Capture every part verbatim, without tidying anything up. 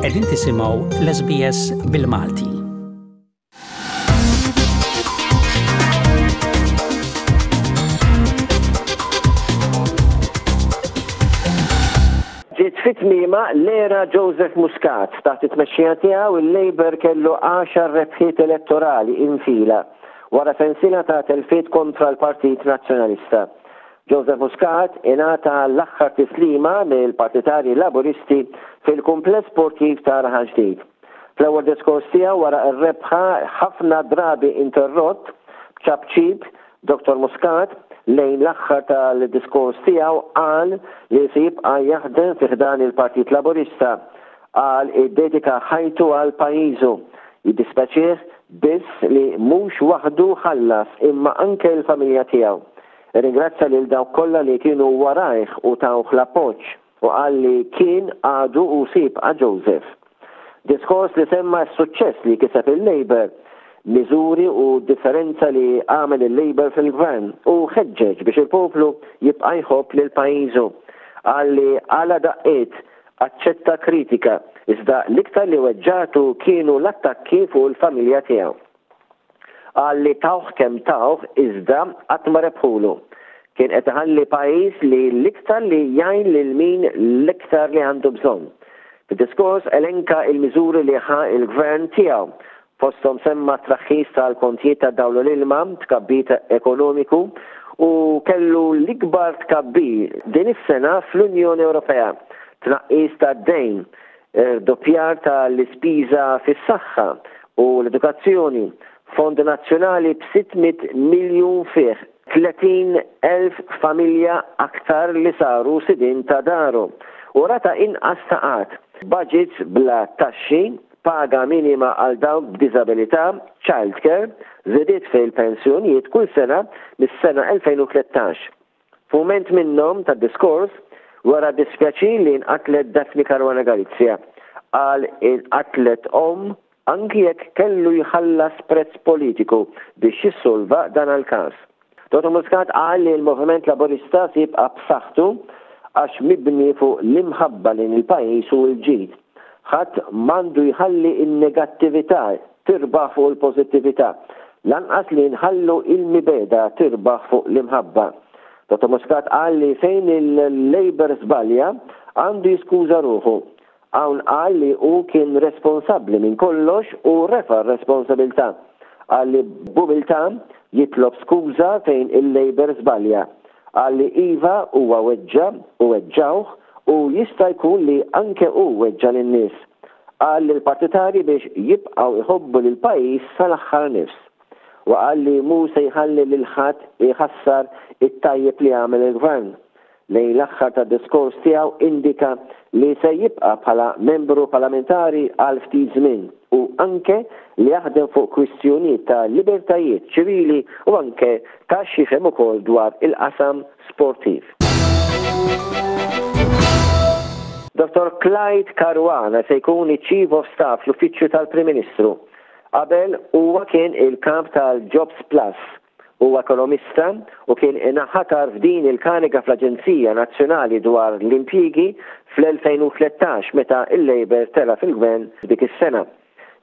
Qegħdin tisimgħu l-S B S bil-Malti. Ġiet fi tmiemha l-era Joseph Muscat. Taħt it-tmexxija tiegħu, il-Labour kellu għaxar rebħiet elettorali infila wara sensiela ta' telfiet kontra l-Partit Nazzjonalista. Joseph Muscat ingħata l-aħħar tislima mill-partitarji Laburisti fil-kumpless sportiv ta' Raħal Ġdid. Fl-ewwel diskors tiegħu wara r-rebħa, ħafna drabi interrott b'ċapċip, Dottor Muscat lejn l-aħħar tal-diskors tiegħu qal li se jibqa' jaħdem fi ħdan il-Partit Laburista. Qal iddedika ħajtu għal pajjiżu. Jiddispjaċih biss li mhux waħdu ħallas, imma anke l-familja tiegħu. Ringrazzja lil dawk kollha li kienu warajh u tawh l-appoġġ u qal li kien, għadu u se jibqa' Joseph. Diskors li semma s-suċċess li kiseb il-Labour, miżuri u differenza li għamel il-Labour fil-gvern, u ħeġġeġ biex il-poplu jibqa' jħobb lil pajjiżu. Qal li għala daqqiet aċċetta kritika, iżda l-iktar li weġġatu kienu l-attakki fuq il-familja tiegħu. Qal li tawh kemm tawh, iżda qatt ma rebħulu. Kien qed iħalli pajjiż li l-iktar li jgħin lil min l-iktar li għandu bżonn. Fid-diskors elenka il-miżuri li ħa il-gvern tiegħu. Fosthom semma traħħis tal-kontijiet ta' dawl u l-ilma, tkabbir ekonomiku u kellu l-ikbar tkabbir din is-sena fl-Unjoni Ewropea, tnaqqis ta' dejn, doppjar tal-ispiża fis-saħħa u l-edukazzjoni, fond nazzjonali b'sitt mitt miljun fih, tletin elf familja aktar li saru sidin ta' daru u rata inqas ta' qgħad, budgets bla taxxi, paga minima għal dawk b'diżabilità, childcare, żidiet fil-pensjonijiet kull sena mis-sena elfejn u tlettax. F'mument minnhom tad-diskors, wera dispjaċir li nqatlet Daphne Caruana Galizia. Qal inqatlet omm, anki jekk kellu jħallas prezz politiku biex jissolva dan il-każ. Dottor Muscat qal li l-Moviment Laburista se jibqa' b'saħħtu għax mibni fuq l-imħabba lejn il-pajjiż u l-ġid. Ħadd m'għandu jħalli in-negattività tirbaħ fuq il-pożittività, lanqas li nħallu il-mibegħda tirbaħ fuq l-imħabba. Dottor Muscat qal li fejn il-Labour żbalja, għandu jiskuża ruħu. Hawn qal li hu kien responsabbli minn kollox u refa' r-responsabilità. Qal li b'umiltà jitlob skuża fejn il-Labour żbalja. Qal li iva, huwa weġġa u weġġawh u jista' jkun li anke hu weġġa lin-nies. Qal lill-partitari biex jibqgħu iħobbu lil pajjiż sal-aħħar nifs. U qal li mhu se jħalli lil ħadd iħassar it-tajjeb li għamel il-gvern. Lejn l-aħħar tad-diskors tiegħu indika li se jibqa' bħala membru parlamentari għal ftit żmien u anke li jaħdem fuq kwistjonijiet ta' libertajiet ċivili u anke ta' x'jifhem ukoll dwar il-qasam sportiv. Dottor Clyde Caruana se jkun iċ-Chief of Staff l-Uffiċċju tal-Prim Ministru. Qabel huwa kien il-kap tal-Jobs Plus. Huwa ekonomista u kien inħatar f'din il-kariga fl-Aġenzija Nazzjonali dwar l-Impjiegi fl-elfejn u tlettax, meta il-Labour tela fil-gvern dik is-sena.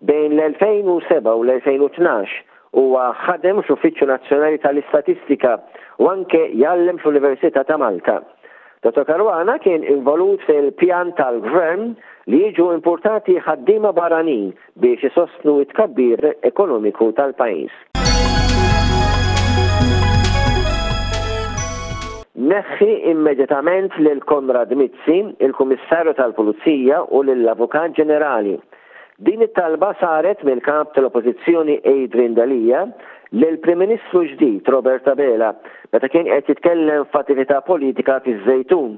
Bejn l-elfejn u sebgħa u l-elfejn u tnax huwa ħadem fl-Uffiċċju Nazzjonali tal-Istatistika u anke jgħallem fl-Università ta' Malta. Dottor Caruana kien involut fil-pjan tal-gvern li jiġu importati ħaddiema barranin biex isostnu it-tkabbir ekonomiku tal-pajjiż. Neħħi immedjatament lil Konrad Mizzi, il-Kummissarju tal-Pulizija, u lill-Avukat Ġenerali. Din it-talba saret mill-kap tal-Oppożizzjoni Adrian Delia lill-Prim Ministru ġdid Robert Abela meta kien qed jitkellem f'attività politika fiż-Żejtun.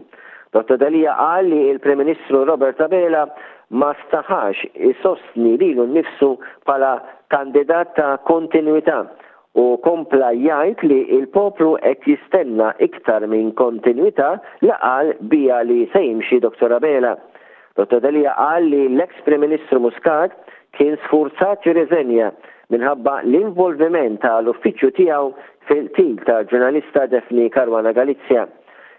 Dottor Delia qal li il-Prim Ministru Robert Abela ma staħax isostni lilu nnifsu bħala kandidat ta' kontinuità u kompla jgħid li il-poplu qed jistenna iktar minn kontinuità li qal bija li se jimxi Dottor Abela. Dottor Delia qal li l-ex Prim Ministru Muscat kien sfurzat jirriżenja minħabba l-involviment tal-uffiċċju tiegħu fil-qtil ta' ġurnalista Daphne Caruana Galizia.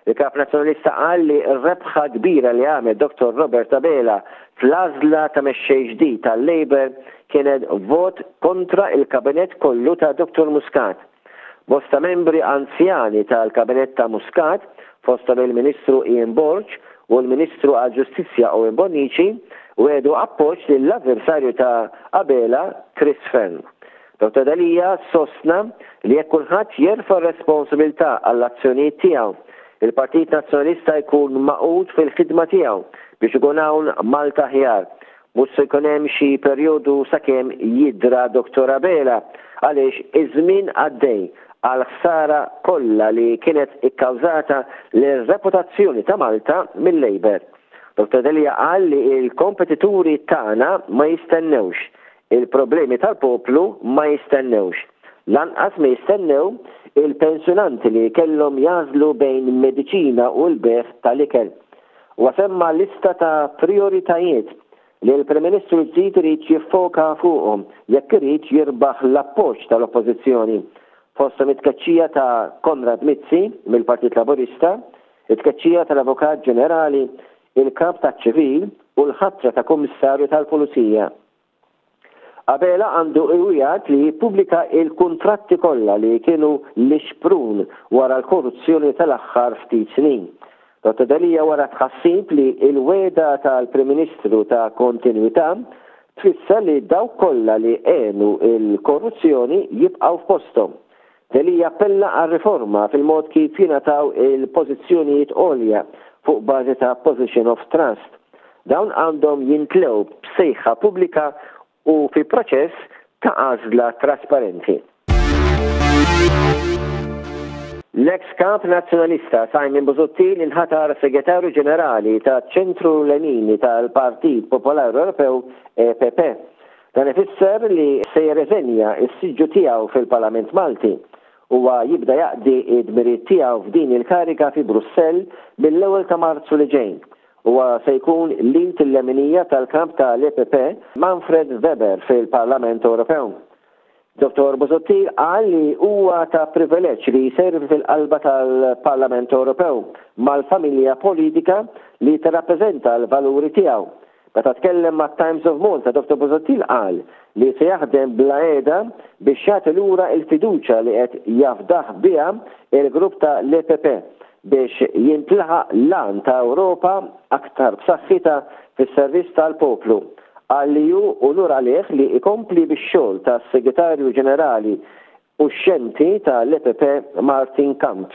Il-Kap Nazzjonalista qal li r-rebħa kbira li għamel Dottor Robert Abela fl-għażla ta' mexxej ġdid tal-Labour kienet vot kontra il-kabinett kollu ta' Dottor Muscat. Bosta membri anzjani tal-kabinett ta' Muscat, fosthom il-Ministru Ian Borg u l-Ministru għall-Ġustizzja Owen Bonnici, wegħdu appoġġ lill-avversarju ta' Abela, Chris Fearne. Dottor Delia sostna li jekk kulħadd jerfa' r-responsabilità għall-azzjonijiet tiegħu, il-Partit Nazzjonalista jkun magħqud fil-ħidma tiegħu biex ikun hawn Malta aħjar. Mhux se jkun hemm xi perjodu sakemm jidra Dottor Abela għaliex iż-żmien għaddej għall-ħsara kollha li kienet ikkawżata lir-reputazzjoni ta' Malta mil-Labour. Dottor Delia qal li l-kompetituri tagħna ma jistennewx, il-problemi tal-poplu ma jistennewx. Lanqas ma jistennew il-pensjonanti li kellhom jagħżlu bejn mediċina u l-bejgħ tal-ikel. Huwa semma lista ta' prioritajiet li l-Prim Ministru l-ġdid irid jiffoka fuqhom jekk irid jirbaħ l-appoġġ tal-Oppożizzjoni, fosthom it-tkeċċija ta' Konrad Mizzi mill-Partit Laburista, it-tkeċċija tal-Avukat Ġenerali, il-Kap taċ-Ċivil u l-ħatra ta' Kummissarju tal-Pulizija. Abela għandu iwiegħed li jippubblika il-kuntratti kollha li kienu l-ixprun wara l-korruzzjoni tal-aħħar ftit snin. Dottor Delia wara tħassib li l-wegħda tal-Prim Ministru ta' kontinwità tfisser li dawk kollha li għenu l-korruzzjoni jibqgħu f'posthom. Delia appella għal riforma fil-mod kif jingħataw il-pożizzjonijiet għolja fuq bażi ta' position of trust. Dawn għandhom jintlew b'sejħa pubblika u fi proċess ta' għażla trasparenti. L-ex kap nazzjonalista Simon Busuttil inħatar segretarju ġenerali ta' ċentru Lemini tal-Partit Popolari Ewropew E P P. Dan ifisser li se jirreżenja s-siġġu tiegħu fil-Parlament Malti. Huwa jibda jaqdi id-dmirijiet tiegħu f'din il-kariga fi Brussell mill-ewwel ta' Marzu li ġej. Huwa se jkun l-int il-leminija tal-kamp tal-E P P Manfred Weber fil-Parlament Ewropew. Dottor Busuttil qal li huwa ta' privileġġ li jservi fil-qalba tal-Parlament Ewropew mal-familja politika li tirrappreżenta l-valuri tiegħu. Meta tkellem ma' Times of Malta, Dottor Busuttil qal li se jaħdem bla qiegħda biex jagħti lura l-fiduċja li qed jafdah biha il-grupp ta' l-E P P biex jintlaħaq l-għan ta' Ewropa aktar b'saħħitha fis-servizz tal-poplu. Qal li hu unur għalih li jkompli bix-xogħol tas-Segretarju Ġenerali uxxenti tal-E P P Martin Kamp.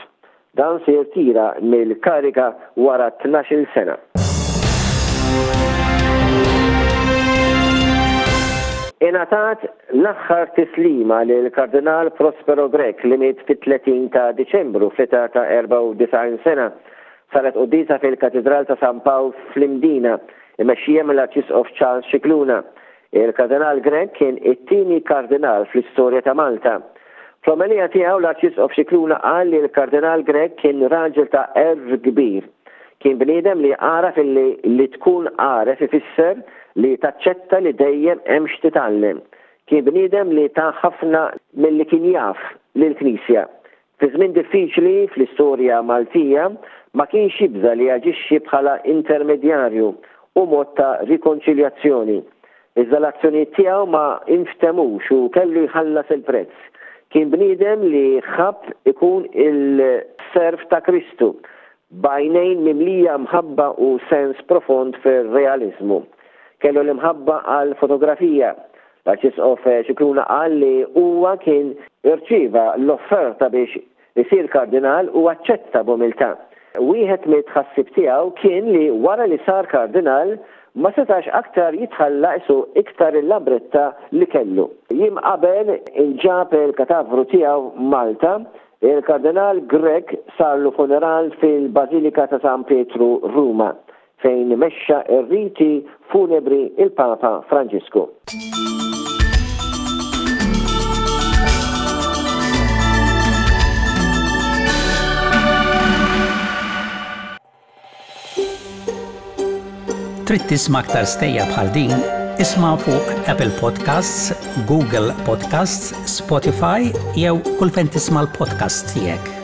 Dan se jirtira mill-kariga wara tnax-il sena. Ingħatat l-aħħar tislima lil Kardinal Prospero Grech li miet fit-tletin ta' Diċembru fl-età ta' erbgħa u disgħin sena. Saret quddiesa fil-Katedral ta' San Pawl fl-Imdina, imexxija mill-Arċisqof Charles Scicluna. Il-Kardinal Grech kien it-tieni kardinal fl-istorja ta' Malta. Fl-omelija tiegħu l-Arċisqof Scicluna qal li l-Kardinal Grech kien raġel ta' għerf kbir. Kien bniedem li għaraf illi li tkun għaref ifisser li taċċetta li dejjem hemm x'titgħallem. Kien bniedem li ta ħafna milli kien jaf lill-Knisja. Fi żmien diffiċli fl-istorja Maltija ma kienx jibża' li jaġixxi bħala intermedjarju u mod ta' rikonċiljazzjoni. Iżda l-azzjonijiet tiegħu ma inftemux u kellu jħallas il-prezz. Kien bniedem li ħabb ikun il-serv ta' Kristu, b'għajnejn mimlija mħabba u sens profond fir-realizmu. Kellu l-imħabba għal fotografija. L-Arċisqof Scicluna qal li huwa kien irċieva l-offerta biex isir kardinal u aċċetta b'umiltà. Wieħed mit-tħassib tiegħu kien li wara li sar kardinal ma setax aktar jitħalla isu iktar il-labretta li kellu. Jiem qabel inġab il-katavru tiegħu Malta, il-Kardinal Grech sarlu funeral fil-Bażilika ta' San Pietru Ruma, fejn mexxa r-riti funebri il-Papa Franġisku. Trid tisma' aktar stejja bħal din? Isma' fuq Apple Podcasts, Google Podcasts, Spotify jew kull fejn tisma' l-podcast tiegħek.